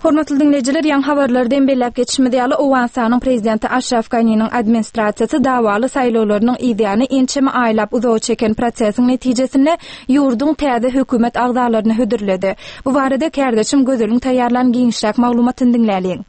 Hormatly diňleýjiler, ýaňy habarlarda hem belläp geçişimiz ýaly, Owganystanyň Prezidenti Aşraf Ganiniň administrasiýasy dawaly saýlawlarynyň yzýany ençeme aýlap uzaga çeken prosesiň netijesinde ýurduň täze hökümet agzalaryny hödürledi. Bu barada kärdeşim Gözeliň taýýarlan giňişräk maglumatyny diňläliň.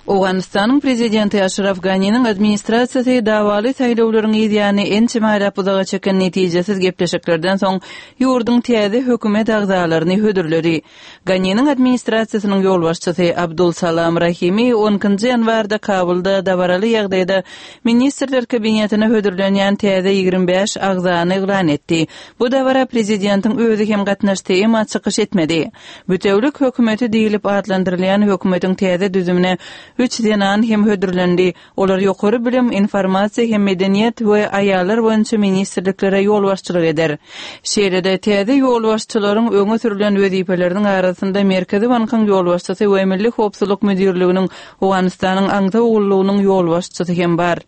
Owganystanyň Prezidenti Aşraf Ganiniň administrasiýasy dawaly saýlawlaryň yzýany ençeme aýlap uzaga çeken netijesiz gepleşiklerden soň ýurduň täze hökümet agzalaryny hödürledi. Ganiniň administrasiýasynyň ýolbaşçysy Abdul Salam Rahimi on ikinji ýanwarda Kabulda dabaraly ýagdaýda Ministrler Kabinetine hödürlenýän täze 25 agzany yglan etdi. Bu dabara prezidentiň özi hem gatnaşdy, emma çykyş etmedi. Bütewlik hökümeti diýlip atlandyrylýan hökümetiň täze düzümine üç zenan hem hödürlendi. Olar ýokary bilim, informasiýa hem medeniýet we aýallar boýunça ministrliklere ýolbaşçylyk eder. Şeýle-de, täze ýolbaşçylaryň öňe sürlen wezipeleriniň arasynda Merkezi bankyň ýolbaşçysy we Milli howpsuzlyk müdirliginiň Owganystanyň aňtaw gullugynyň ýolbaşçysy hem bar.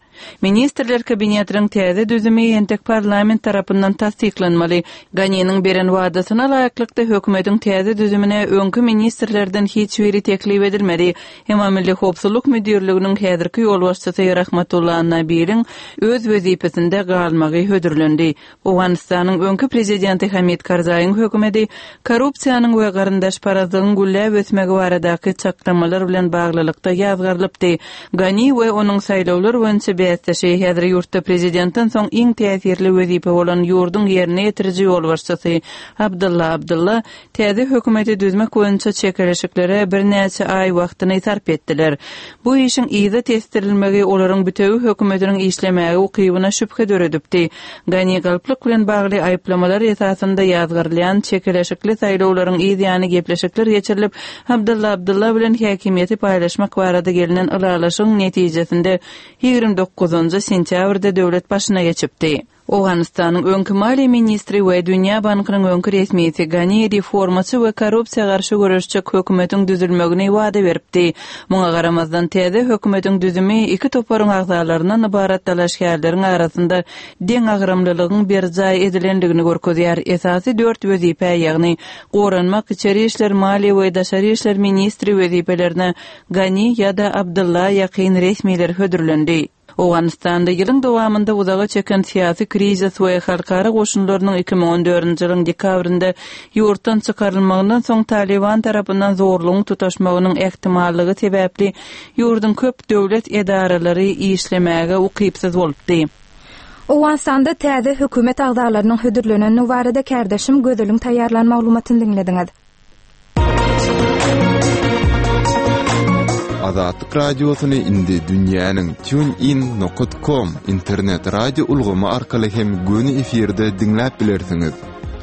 Ministrler Kabinetiniň täze düzümi entek parlament tarapyndan tassyklanmaly. Ganiniň beren wadasyna laýyklykda, hökümetiň täze düzümine öňki ministrlerden hiç biri teklip edilmedi. Emma Milli howpsuzlyk müdirliginiň häzirki ýolbaşçysy Rahmatulla Nabiliň öz wezipesinde galmagy hödürlendi. Owganystanyň öňki prezidenti Hamid Karzaýyň hökümeti korrupsiýanyň we garyndaşparazlygyň gülläp ösmegi baradaky çaklamalar bilen baglylykda ýazgarylypdy. Gani we onuň saýlawlar boýunça bäsdeşi, häzir ýurtda prezidentden soň iň täsirli wezipe bolan ýurduň ýerine ýetiriji ýolbaşçysy Abdylla Abdylla Täze hökümeti düzmek boýunça çekeleşiklere birnäçe aý wagtyny sarp etdiler. Bu işiň yza tesdirilmegi olaryň bütewi hökümetiniň işlemäge ukybyna şübhe döredipdi. Gani galplyk bilen bagly aýyplamalar esasynda ýazgarylýan çekeleşikli saýlawlaryň yz ýany gepleşikler geçirilip, Abdylla Abdylla bilen häkimiýeti paýlaşmak barada gelnen ylalaşygyň netijesinde 29 sentýabrda döwlet başyna geçipdi. Owganystanyň öňki maliýe ministri we Dünýä bankynyň öňki resmisi Gani reformaçy we korrupsiýa garşy göreşjek hökümetiň düzülmegini wada beripdi. Muňa garamazdan, täze hökümetiň düzümi iki toparyň agzalaryndan ybarat dalaşgärleriň arasynda deňagramlylygyň berjaý edilendigini görkezýär. Esasy dört wezipä, ýagny goranmak, içeri işler, maliýe we daşary işler ministri wezipelerine Gani ýa-da Abdylla ýakyn resmiler hödürlendi. Owganystanda ýylyň dowamynda uzaga çeken syýasy krizis we halkara goşunlarynyň 2014-nji ýylyň dekabrynda ýurtdan çykarylmagyndan soň Talyban tarapyndan zorlugyň tutaşmagynyň ähtimallygy sebäpli ýurduň köp döwlet edaralary işlemäge ukypsyz bolupdy. Owganystanda täze hökümet agzalarynyň hödürlenendigi barada kärdeşim Gözeliň taýýarlan maglumatyny diňlediňiz. Azatlyk Radiosyny indi dünýäniň TuneIn nokat com internet radio ulgamy arkaly hem göni efirde diňläp bilersiňiz.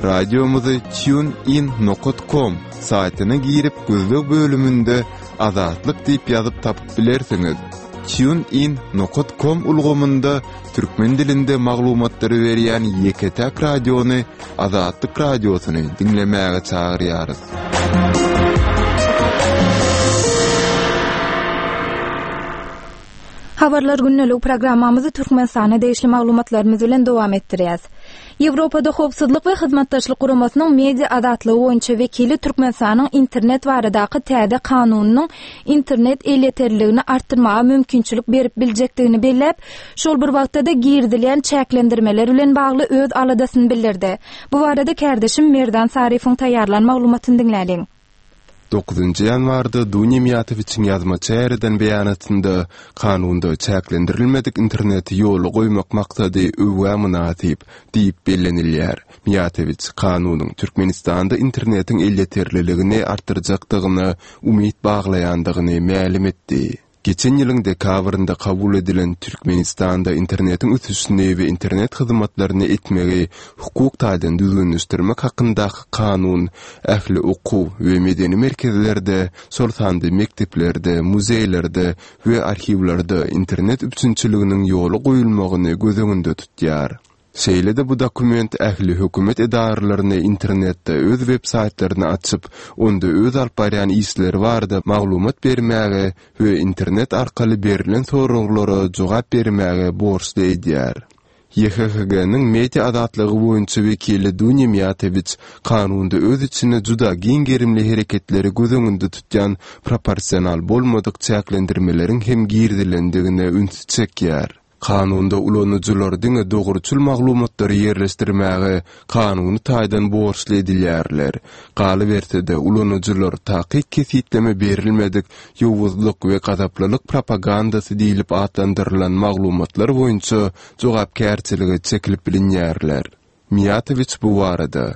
Radiomyzy TuneIn nokat com saýtyna girip gözleg bölüminde Azatlyk diýip ýazyp tapyp bilersiňiz. TuneIn nokat com ulgamynda türkmen dilinde maglumatlary berýän ýeke-täk radiony Azatlyk Radiosyny diňlemäge çagyrýarys. Habarlar gündeligi programmamyzy Türkmenistana degişli maglumatlarymyz bilen dowam etdirýäs. Ýewropada Howpsuzlyk we Hyzmatdaşlyk Guramasynyň media azatlygy boýunça wekili Türkmenistanyň internet baradaky täze kanunynyň internet elýeterliligini artdyrmaga mümkinçilik berip biljekdigini belläp, şol bir wagtda-da girizilýän çäklendirmeler bilen bagly öz aladasyny bildirdi. Bu barada kärdeşim Merdan Saryýewiň taýýarlan maglumatyny diňläliň. Dokuzynjy ýanwarda Dunýa Miýatowiçiň ýazmaça ýaýradan beýanatynda kanunda çäklendirilmedik interneti ýola goýmak maksady öwgä mynasyp diýip bellenilýär. Miýatowiç kanunyň Türkmenistanda internetiň elýeterliligini artdyrjakdygyna umyt baglaýandygyny mälim etdi. Geçen ýylyň dekabrynda kabul edilen Türkmenistanda internetiň ösüşini we internet hyzmatlaryny etmegi hukuk taýdan düzgünleşdirmek hakyndaky kanun ähli okuw we medeni merkezlerde, şol sanda mekdeplerde, muzeýlerde we arhiwlerde internet üpjünçiliginiň ýola goýulmagyny göz öňünde tutýar. Şeýle-de bu dokument ähli hökümet edaralaryny internetde öz web-saýtlaryny açyp, onda öz alyp barýan işleri barada maglumat bermäge we internet arkaly berlen soraglara jogap bermäge borçly edýär. YHHG-niň media azatlygy boýunça wekili Dunýa Miýatowiç kanunda öz içinde juda giň gerimli hereketleri göz öňünde tutýan proporsional bolmadyk çäklendirmeleriň hem girizilendigine ünsi çekýär. Kanunda ulanyjylar diňe dogruçyl maglumatlary ýerleşdirmäge kanuny taýdan borçly edilýärler. Galyberse-de, ulanyjylar takyk kesgitleme berilmedik ýowuzlyk we gazaplylyk propagandasy diýlip atlandyrylan maglumatlar boýunça jogapkärçilige çekilip bilinýärler. Miýatowiç bu barada,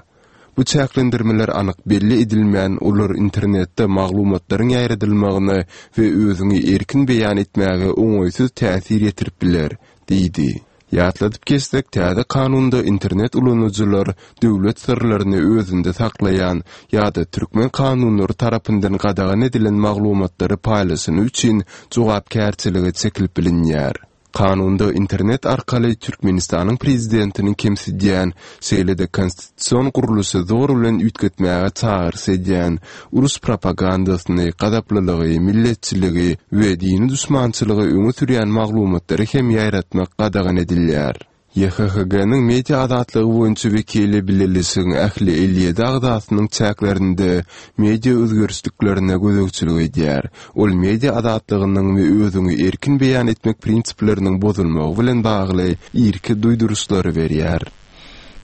Bu çäklendirmeler anyk belli edilmän, olar internetde maglumatlaryň ýaýradylmagyna we özüňi erkin beýan etmäge oňaýsyz täsir ýetirip biler, diýdi. Ýatladyp geçsek, täze kanunda internet ulanyjylar döwlet syrlaryny özünde saklaýan ýa-da türkmen kanunlary tarapyndan gadagan edilen maglumatlary paýlaşany üçin jogapkärçilige çekilip bilinýär. Kanunda internet arkaly Türkmenistanyň prezidentini kemsidýän, şeýle-de konstitusion gurluşy zor bilen üýtgetmäge çagyryş edýän, uruş propagandasyny, gazaplylygy, milletçiligi we dini duşmançylygy öňe sürýän maglumatlary hem ýaýratmak gadagan edilýär. YHHG-niň media azatlygy boýunça wekili bileleşigiň ähli 57 agzasynyň çäklerinde media özgerişliklerine gözegçilik edýär. Ol media azatlygynyň we özüňi erkin beýan etmek prinsipleriniň bozulmagy bilen bagly irki duýduryşlary berýär.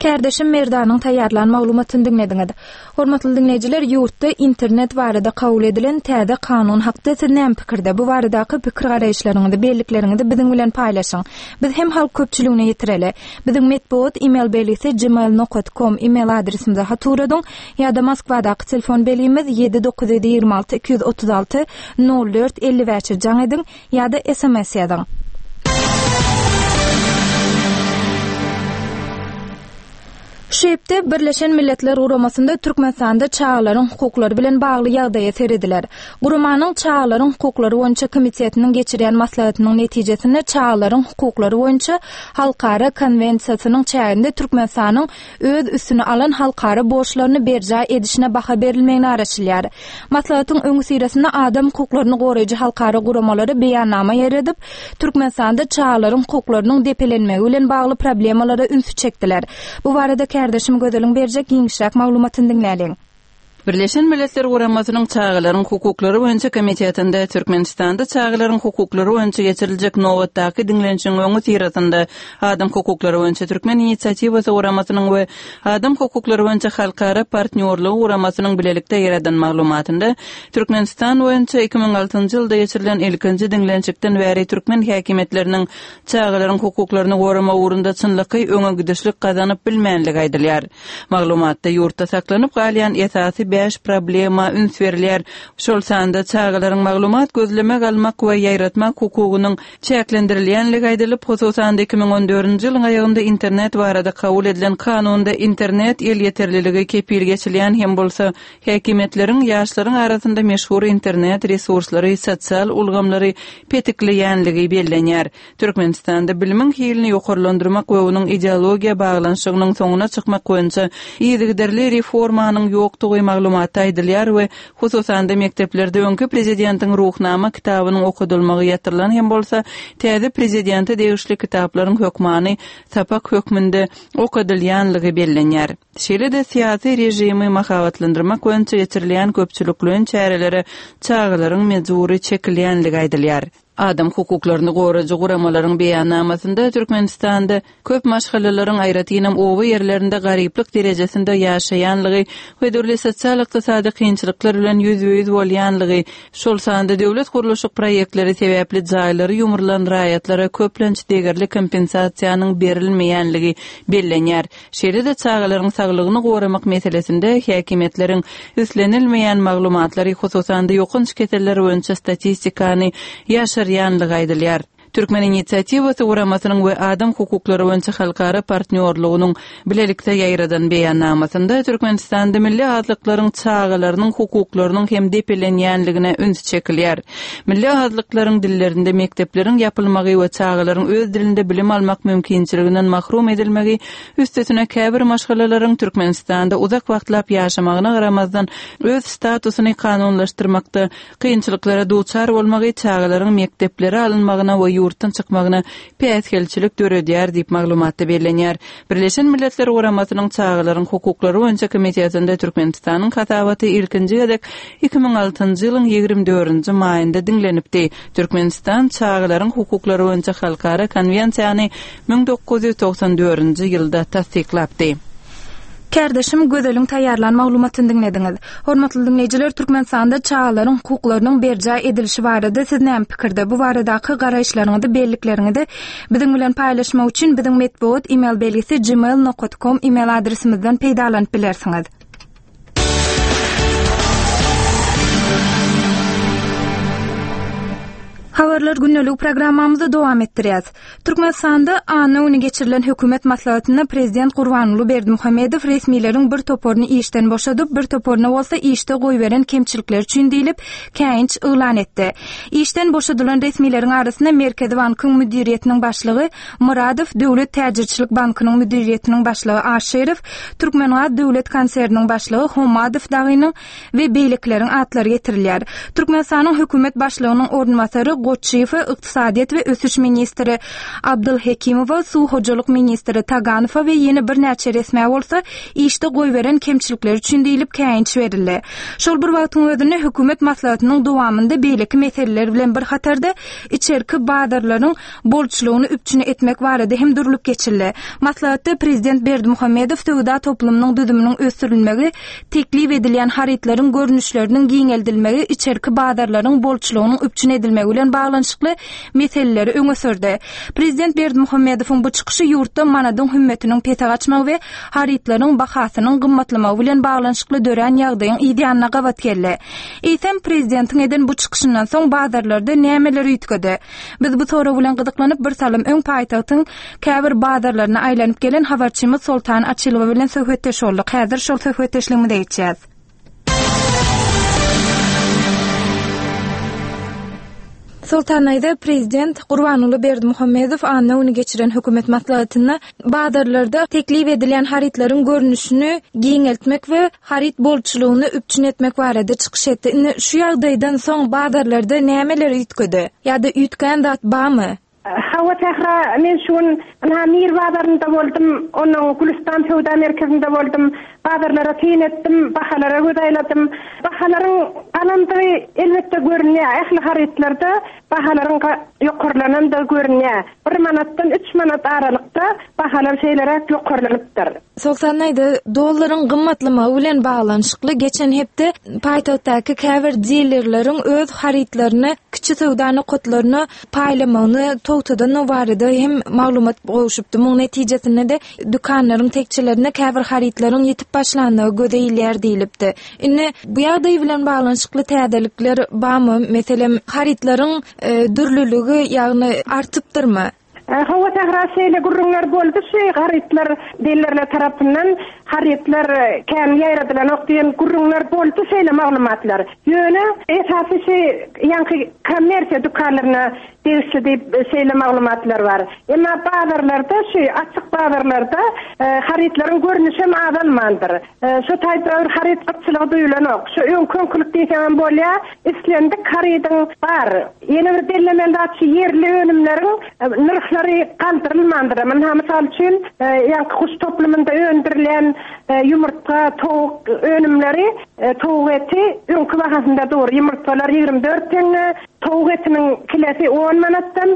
Kärdeşim Merdanyň taýýarlan maglumatyny diňlediňiz. Hormatly diňleýjiler, ýurtda internet barada kabul edilen täze kanun hakda siz näme pikirde? Bu baradaky pikir-garaýyşlaryňyzy, bellikleriňizi biziň bilen paýlaşyň. Biz hem halk köpçüligine ýetireli. Biziň metbugat email belgisi gmail nokat kom email adresimize hat ugradyň ýa-da Moskwadaky telefon belgimiz 7 926 236 04 55-e jaň ediň ýa-da sms ýazyň. Şu hepde Birleşen Milletler Guramasynda Türkmenistanda çagalaryň hukuklary bilen bagly ýagdaýa serediler. Guramanyň Çagalaryň hukuklary boýunça komitetiniň geçirýän maslahatynyň netijesinde Çagalaryň hukuklary boýunça halkara konwensiýasynyň çäginde Türkmenistanyň öz üstüne alan halkara borçlaryny berjaý edişine baha berilmegine garaşylýar. Maslahatyň öňüsyrasynda adam hukuklaryny goraýjy halkara guramalary beýannama ýaýradyp, Türkmenistanda çagalaryň hukuklarynyň depelenmegi bilen bagly problemalara ünsi çekdiler. Bu barada kärdeşim Gözeliň berjek giňişräk maglumatyny diňläliň. Birleşen Milletler Guramasynyň Çagalaryň hukuklary boýunça komitetinde Türkmenistanda çagalaryň hukuklary boýunça geçiriljek nobatdaky diňlenişigiň öňüsyrasynda Adam hukuklary boýunça Türkmen inisiatiwasy guramasynyň we Adam hukuklary boýunça Halkara partnýorlygy guramasynyň bilelikde ýaradan maglumatynda Türkmenistan boýunça 2006-njy ýylda geçirilen ilkinji diňlenişikden bäri türkmen häkimiýetleriniň çagalaryň hukuklaryny goramak ugrunda çynlakaý öňe gidişlik gazanyp bilmänligi aýdylýar. Maglumatda ýurtda saklanyp galýan esasy bäş problema üns berilýär, şol sanda çagalaryň maglumat gözlemek, almak we ýaýratmak hukugynyň çäklendirilýänligi aýdylyp, hususan-da 2014-nji ýylyň aýagynda internet barada kabul edilen kanunda internet elýeterliligi kepil geçilýän hem bolsa, häkimiýetleriň ýaşlaryň arasynda meşhur internet resurslary, sosial ulgamlary petikleýänligi bellenýär. Türkmenistanda bilimiň hilini ýokarlandyrmak we onuň ideologiýa baglanyşygynyň soňuna çykmak boýunça yzygiderli reformanyň ýokdugy maglumatda aýdylýar we hususan-da mekdeplerde öňki prezidentiň Ruhnama kitabynyň okadylmagy ýatyrylan hem bolsa, täze prezidente degişli kitaplaryň hökmany sapak hökmünde okadylýanlygy bellenýär. Şeýle-de syýasy režimi mahabatlandyrmak boýunça geçirilýän köpçülikleýin çärelere çagalaryň mejbury çekilýänligi aýdylýar. Adam hukuklaryny goraýjy guramalaryň beýannamasynda Türkmenistanda köp maşgalalaryň, aýratynam oba ýerlerinde garyplyk derejesinde ýaşaýanlygy we dürli sosial-ykdysady kynçylyklar bilen ýüzbe-ýüz bolýanlygy, şol sanda döwlet gurluşyk proýektleri sebäpli jaýlary ýumrulan raýatlara köplenç degerli kompensasiýanyň berilmeýänligi bellenýär. Şeýle-de çagalaryň saglygyny goramak meselesinde häkimiýetleriň islenilmeýän maglumatlary, hususan-da ýokanç keseller boýunça statistikany ýaşyrýanlygy aýdylýar. Türkmen inisiatiwasy guramasynyň we Adam hukuklary boýunça halkara partnýorlygynyň bilelikde ýaýradan beýannamasynda Türkmenistanda milli azlyklaryň çagalarynyň hukuklarynyň hem depelenýänligine üns çekilýär. Milli azlyklaryň dillerinde mekdepleriň ýapylmagy we çagalaryň öz dilinde bilim almak mümkinçiliginden mahrum edilmegi, üstesine käbir maşgalalaryň Türkmenistanda uzak wagtlap ýaşamagyna garamazdan öz statusyny kanunlaşdyrmakda kynçylyklara duçar bolmagy çagalaryň mekdeplere alynmagyna we. ýurtdan çykmagyna päsgelçilik döredýär diýip, maglumatda bellenýär. Birleşen Milletler Guramasynyň Çagalaryň hukuklary boýunça komitetinde Türkmenistanyň hasabaty ilkinji gezek 2006-njy ýylyň 24-nji maýynda diňlenipdi. Türkmenistan Çagalaryň hukuklary boýunça halkara konwensiýany 1994-nji ýylda tassyklapdy. Kärdeşim Gözeliň taýýarlan maglumatyny diňlediňiz. Hormatly diňleýjiler, Türkmenistanda çagalaryň hukuklarynyň berjaý edilişi barada siz näme pikirde? Bu baradaky garaýyşlaryňyzy, bellikleriňizi biziň bilen paýlaşmak üçin biziň metbugat email belgisi gmail nokat kom email adresimizden peýdalanyp bilersiňiz. Habarlar gündelik programmamyzy dowam etdirýäs. Türkmenistanda anna güni geçirilen hökümet maslahatynda prezident Gurbanguly Berdimuhamedow resmileriň bir toparyny işden boşadyp, bir toparyna bolsa işde goýberen kemçilikleri üçin diýlip, käýinç yglan etdi. Işden boşadylan resmileriň arasynda Merkezi bankyň müdiriýetiniň başlygy Myradow, Döwlet täjirçilik bankynyň müdiriýetiniň başlygy Aşyrow, Türkmengaz döwlet konserniniň başlygy Hommadow dagynyň we beýlekileriň atlary getirilýär. Türkmenistanyň hökümet başlygynyň orunbasary Goçyýewe, ykdysadyýet we ösüş ministri Abdylhekimowa, suw hojalyk ministri Taganowa we ýene birnäçe resmä bolsa işde goýberen kemçilikleri üçin diýlip käýinç berildi. Şol bir wagtyň özünde hökümet maslahatynyň dowamynda beýleki meseleler bilen bir hatarda içerki bazarlaryň bolçulygyny üpjün etmek barada hem durlup geçildi. Maslahatda prezident Berdimuhamedow söwda toplumynyň düzüminiň ösdürilmegi, teklip edilýän harytlaryň görnüşleriniň giňeldilmegi içerki bazarlaryň bolçulygynyň üpjün edilmegi bilen baglanyşykly meseleleri öňe sürdi. Prezident Berdimuhamedowyň bu çykyşy ýurtda manadyň hümmetiniň pese gaçmagy we harytlaryň bahasynyň gymmatlamagy bilen baglanyşykly dörän ýagdaýyň yzýanyna gabat geldi. Eýsem, prezidentiň eden bu çykyşyndan soň bazarlarda nämeler üýtgedi? Biz bu sorag bilen gyzyklanyp, bir salym öň paýtagtyň käbir bazarlaryna aýlanyp gelen habarçymyz Soltan Açylowa bilen söhbetdeş bolduk. Häzir şol söhbetdeşligimize geçýäs. Soltan daýza, prezident Gurbanguly Berdimuhamedow anna güni geçiren hökümet maslahatynda bazarlarda teklip edilýän harytlaryň görnüşini giňeltmek we haryt bolçulygyny üpjün etmek barada çykyş etdi. Indi şu ýagdaýdan soň bazarlarda nämeler üýtgedi? Ýa-da üýtgän zat barmy? Hawa Sähra, men şu gün ynha Mir bazarynda boldum, onnoň Gülüstan söwda merkezinde boldum. Bazarlara syn etdim, bahalara göz aýladym. Bahalaryň galandygy elbetde görünýär. Ähli harytlarda bahalaryň ýokarlanandygy görünýär. Bir manatdan üç manat aralykda bahalar şeýleräk ýokarlanypdyr. Soltan daýza, dollaryň gymmatlamagy bilen baglanyşykly geçen hepde paýtagtdaky käbir dilerleriň öz harytlaryny kiçi söwda nokatlaryna paýlamagyny togtadandygy barada hem maglumat gowşupdy. Munuň netijesinde-de dükanlaryň tekjelerinde käbir harytlaryň ýitip başlandygy göze ilýär diýlipdi. Indi bu ýagdaý bilen baglanyşykly täzelikler barmy? Meselem, harytlaryň dürlüligi, ýagny artypdyrmy? Hawa Sähra şeýle gürrüňler boldy şu harytlar dillerler tarapyndan harytlar kän ýaýradylanok diýen gürrüňler boldy şeýle maglumatlar. Ýöne esasy şu ýaňky kommersiýa dükanlaryna degişli diýip şeýle maglumatlar bar. Emma bazarlarda şu açyk bazarlarda harytlaryň görnüşem azalmandyr. Şu taýda bir haryt gytçylygy duýulanok. Şu öňki-öňkülik diýseňem bolýar. Islendik harydyň bar. Ýene bir bellemeli zat şu ýerli önümleriň nyrhlary galdyrylmandyr. Ynha, mysal üçin, ýaňky guş toplumynda öndürilýän ýumurtga, towuk önümleri, towuk eti öňki bahasynda dur. Ýumurtgalar 24 teňňe, towuk etiniň kilesi on manatdan.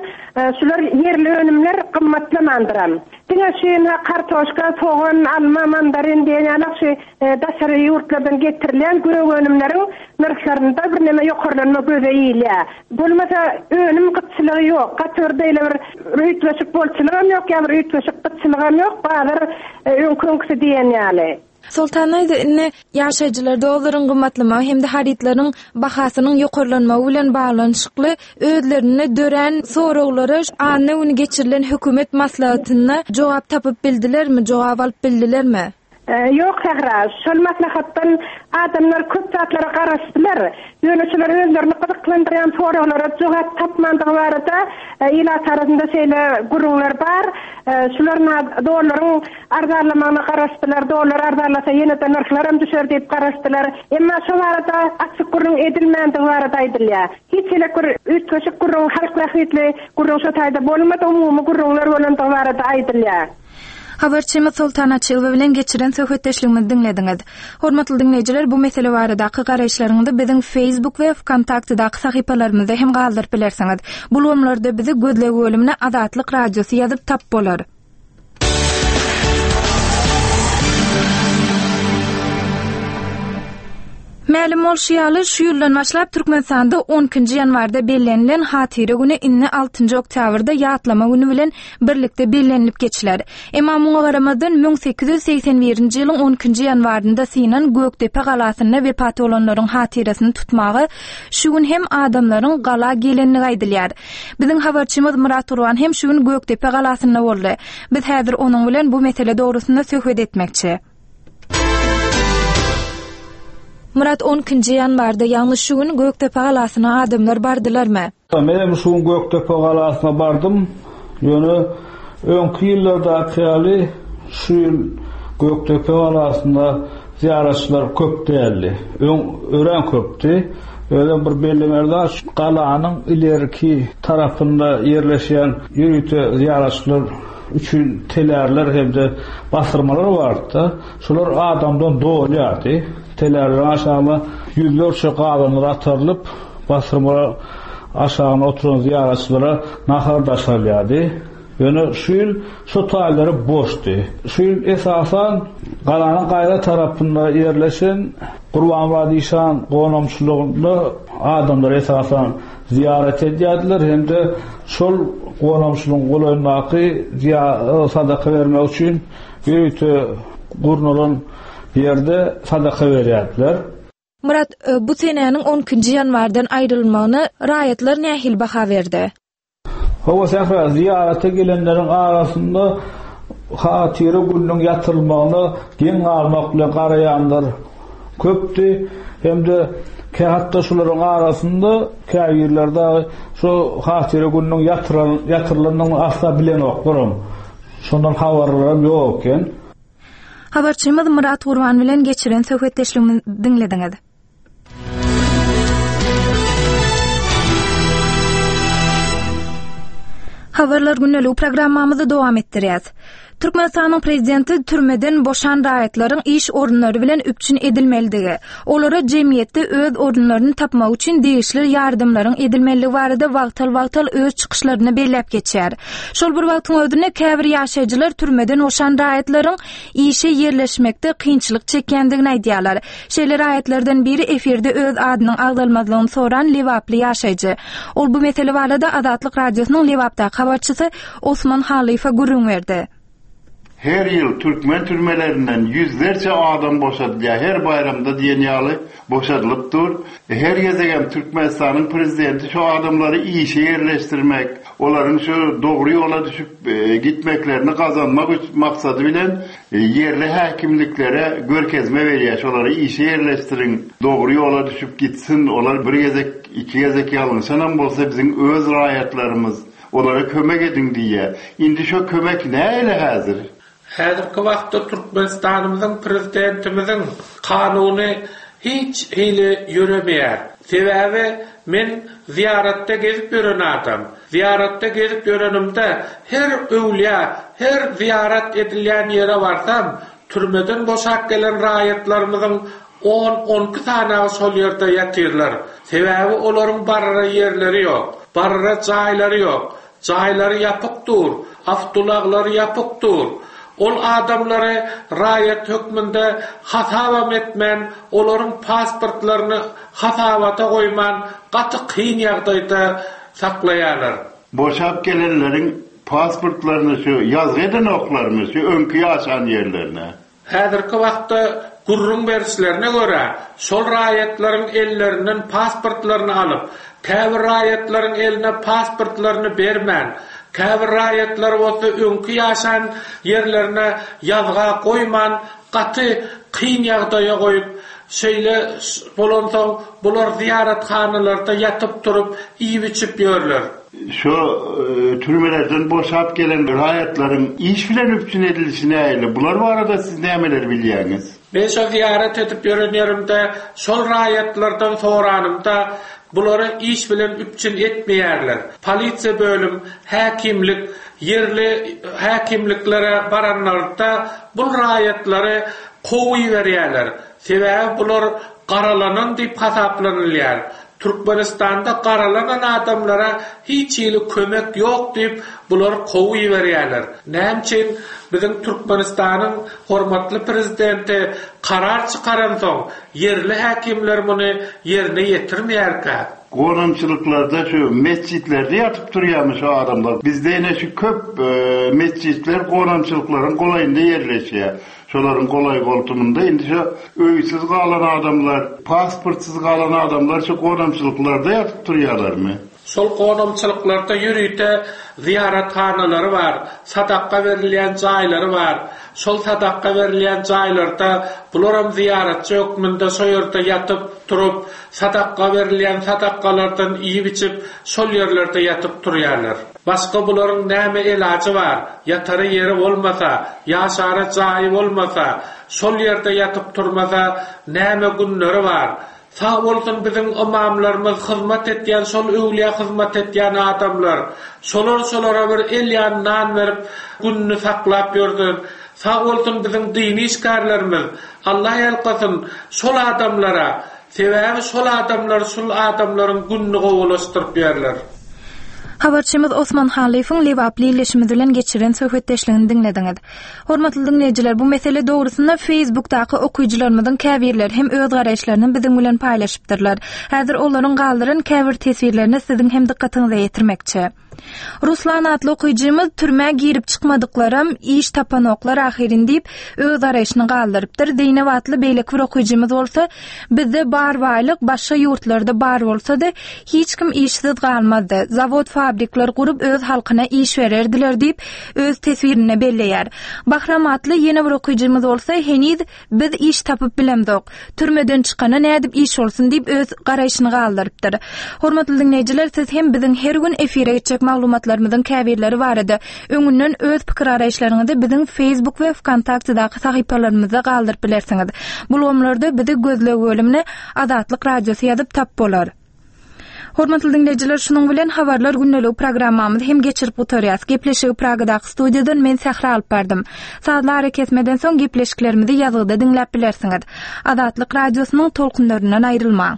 Şular ýerli önümler gymmatlamandyram. Diňe şu ynha kartoşka, sogan, alma, mandarin diýen ýalak şu daşary ýurtlardan getirilýän gök önümleriň nyrhlarynda birneme ýokarlanma göze ilýär. Bolmasa önüm gytçylygy ýok. Gaty bir beýle bir üýtgeşik bolçulygam ýok ýa bir üýtgeşik gytçylygam ýok. Bazar öňki-öňküsi diýen ýaly. Soltan daýza, indi ýaşaýjylar dollaryň gymmatlamagy hem-de harytlaryň bahasynyň ýokarlanmagy bilen baglanyşykly özlerinde dörän soraglara anna güni geçirilen hökümet maslahatynda jogap tapyp bildilermi, jogap alyp bildilermi? Ýok, Sähra, şol maslahatdan adamlar köp zatlara garaşdylar. Ýöne şolar özlerini gyzyklandyrýan soraglara jogap tapmandygy barada ilat arasynda şeýle gürrüňler bar. Şular dollaryň arzanlamagyna garaşdylar, dollar arzanlasa ýene-de nyrhlaram düşer diýip garaşdylar. Emma şo barada açyk gürrüň edilmändigi barada aýdylýar. Hiç hili bir üýtgeşik gürrüň, halk bähbitli gürrüň şo taýda bolmady, umumy gürrüňler bolandygy barada aýdylýar. Habarçymyz Soltan Açylowa bilen geçiren söhbetdeşligimizi diňlediňiz. Hormatly diňleýjiler, bu mesele baradaky garaýyşlaryňyzy biziň Facebook we Wkontaktedaky sahypalarymyzda hem galdyryp bilersiňiz. Bu ulgamlarda bizi gözleg bölümine Azatlyk Radiosy ýazyp tap bolar. Mälim bolşy ýaly, şu ýyldan başlap Türkmenistanda on ikinji ýanwarda bellenilen Hatyra güni indi altynjy oktýabrda Ýatlama güni bilen birlikde bellenilip geçiler. Emma muňa garamazdan, 1881-nji ýylyň on ikinji ýanwarynda synan Gökdepe galasynda wepat bolanlaryň hatyrasyny tutmaga şu gün hem adamlaryň gala gelenligi aýdylýar. Biziň habarçymyz Myrat Gurban hem şu gün Gökdepe galasynda boldy. Biz häzir onuň bilen bu mesele dogrusynda söhbet etmekçi. Myrat, on ikinji ýanwarda, ýagny şu gün Gökdepe galasyna adamlar bardylarmy? Menem şu gün Gökdepe galasyna bardym. Ýöne öňki ýyllardaky ýaly şu ýyl Gökdepe galasynda zyýaratçylar köp däldi. Öň örän köpdi. Özem bir bellemeli zat, şu galanyň ilerki tarapynda ýerleşýän ýörite zyýaratçylar üçin telärler hem-de basyrmalar bardy-da, şolar adamdan dolýardy. Telärleriň aşagyna ýüzlerçe gazanlar atarylyp, Basyrma aşagynda oturan zyýaratçylara nahar daşalýardy. Ýöne şu ýyl şo taýlary boşdy. Şu ýyl esasan galanyň gaýra tarapynda ýerleşen Gurbanmyrat işan gonamçylygynda adamlar esasan zyýarat edýärdiler hem-de şol gonamçylygyň golaýyndaky sadaka bermek üçin ýörite gurnalan ýerde sadaka berýärdiler. Myrat, bu senäniň on ikinji ýanwardan aýrylmagyna raýatlar nähili baha berdi? Hawa, Sähra, zyýarata gelenleriň arasynda Hatyra gününiň ýatyrylmagyna geň galmak bilen garaýanlar köpdi hem-de hatda şolaryň arasynda käbirleri dagy şu Hatyra gününiň ýatyrylandygyny asla bilenoklaram, şondan habarlaram ýok eken. Habarçymyz Myrat Gurban bilen geçiren söhbetdeşligimizi diňlediňiz. Habarlar gündeligi programmamyzy dowam etdirýäs. Türkmenistanyň prezidenti türmeden boşan raýatlaryň iş orunlary bilen üpjün edilmelidigi, olara jemgyýetde öz orunlaryny tapmagy üçin degişli ýardamlaryň edilmelidigi barada wagtal-wagtal öz çykyşlarynda belläp geçýär. Şol bir wagtyň özünde käbir ýaşaýjylar türmeden boşan raýatlaryň işe ýerleşmekde kynçylyk çekýändigini aýdýarlar. Şeýle raýatlardan biri efirde öz adynyň agzalmazlygyny soran lebaply ýaşaýjy. Ol bu mesele barada Azatlyk Radiosynyň Lebapdaky habarçysy Osman Halyýewe gürrüň berdi. Her ýyl türkmen türmelerinden ýüzlerçe adam boşadylýar, her baýramda diýen ýaly boşadylyp dur. Her gezegem Türkmenistanyň prezidenti şu adamlary işe ýerleşdirmek, olaryň şu dogry ýola düşüp gitmeklerini gazanmak maksady bilen ýerli häkimliklere görkezme berýär, şolary işe ýerleşdiriň, dogry ýola düşüp gitsin, olar bir gezek, iki gezek ýalňyşanam bolsa biziň öz raýatlarymyz. Olara kömek ediň diýýär. Indi şo kömek nähili häzir? Häzirki wagtda Türkmenistanymyzyň Prezidentimiziň kanuny hiç hili ýöremeýär. Sebäbi men zyýaratda gezip ýören adam. Zyýaratda gezip ýörenimde her öwlüýä, her zyýarat edilýän ýere barsam, türmeden boşap gelen raýatlarymyzyň On-onki sanagy şol ýerde ýatyrlar. Sebäbi olaryň barara ýerleri ýok. Barara jaýlary ýok. Jaýlary ýapyk dur. Awtoulaglary ýapyk dur. Ol adamlary raýat hökmünde hasabam etmän, olaryň pasportlaryny hasabata goýman gaty kyn ýagdaýda saklaýarlar. Boşap gelenleriň pasportlaryny şu ýazgy edenoklarmy şu öňki ýaşan ýerlerine? Häzirki wagtda gürrüň berişlerine görä, şol raýatlaryň ellerinden pasportlaryny alyp, käbir raýatlaryň eline pasportlaryny bermän, käbir raýatlary bolsa öňki ýaşan ýerlerine ýazga goýman, gaty kyn ýagdaýa goýup, şeýle bolansoň bular zyýarathanalarda ýatyp-turup, iýip-içip ýörler. Şo türmelerden boşap gelen raýatlaryň iş bilen üpjün edilişi nähili? Bular barada siz nämeleri bilýäňiz? Men şo zyýarat edip ýören ýerimde şol raýatlardan soranymda, bulary iş bilen üpjün etmeýärler. Polisiýa bölüm, häkimlik, ýerli häkimliklere baranlarynda bul raýatlary kowuberýärler. Sebäbi bular garalanan diýip hasaplanylýar. Türkmenistanda garalanan adamlara hiç hili kömek ýok diýip bulary kowuberýärler. Näme üçin biziň Türkmenistanyň hormatly prezidenti karar çykaransoň ýerli häkimler muny ýerine ýetirmeýärkä? Gonamçylyklarda şu metjitlerde ýatyp turýarmy şu adamlar? Bizde ine şu köp metjitler gonamçylyklaryň golaýynda ýerleşýär. Şolaryň golaý-goltumynda indi şo öýsüz galan adamlar, pasportsyz galan adamlar şo gonamçylyklarda ýatyp turýarlarmy? Şol gonamçylyklarda ýörite zyýarathanalary bar, sadakga berilýän jaýlary bar. Şol sadakga berilýän jaýlarda bularam zyýaratçy hökmünde şo ýerde ýatyp, turup, sadakga berilýän sadakgalardan iýip-içip, şol ýerlerde ýatyp turýarlar. Başga bularyň näme elajy bar, ýatara ýeri bolmasa, ýaşara jaýy bolmasa, şol ýerde ýatyp turmasa, näme günleri bar. Sag bolsun biziň ymamlarymyz hyzmat etýän şol öwlüýä hyzmat etýän adamlar. Şolar şolara bir el ýany nan berip gününi saklap ýörsün. Sag bolsun biziň dini işgärlerimiz. Allah ýalkasyn şol adamlara. Sebäbi şol adamlar şul adamlaryň gününi gowulaşdyryp ýörler. Habarçymyz Osman Hallyýewiň lebaply ildeşimiz bilen geçiren söhbetdeşligini diňlediňiz. Hormatly diňleýjiler, bu mesele dogrusynda Facebookdaky okyjylarymyzyň käbirleri hem öz garaýyşlaryny biziň bilen paýlaşypdyrlar. Häzir olaryň galdyran käbir teswirlerini siziň hem dykgatyňyza ýetirmekçi. Ruslan atly okyjymyz türmä girip çykmadyklaram iş tapanoklar ahyryn diýip, öz garaýşyny galdyrypdyr. Zeýnep atly beýleki bir okyjymyz bolsa, Bizde bar baýlyk başga ýurtlarda bar bolsady, hiç kim işsiz galmazdy. Zawod-fabrikler gurup öz halkyna iş bererdiler diýip, öz teswirinde belleýär. Bahram atly ýene bir okyjymyz bolsa, heniz Biz iş tapyp bilemzok. Türmeden çykana nädip iş bolsun diýip öz garaýşyny galdyrypdyr. Hormatly diňleýjiler siz hem biziň her gün efire geçjek maglumatlarymyzyň käbirleri barada öňünden öz pikir-garaýyşlaryňyzy biziň Facebook we Wkontaktedaky sahypalarymyzda galdyryp bilersiňiz. Bu ulgamlarda bizi gözleg bölümine Azatlyk Radiosy ýazyp tap bolar. Hormatly diňleýjiler, şunuň bilen Habarlar gündeligi programmamyzy hem geçirip gutarýas. Gepleşigi Pragadaky studiýadan men Sähra alyp bardym. Sazly arakesmeden soň gepleşiklerimizi ýazgyda diňläp bilersiňiz. Azatlyk Radiosynyň tolkunlaryndan aýrylmaň.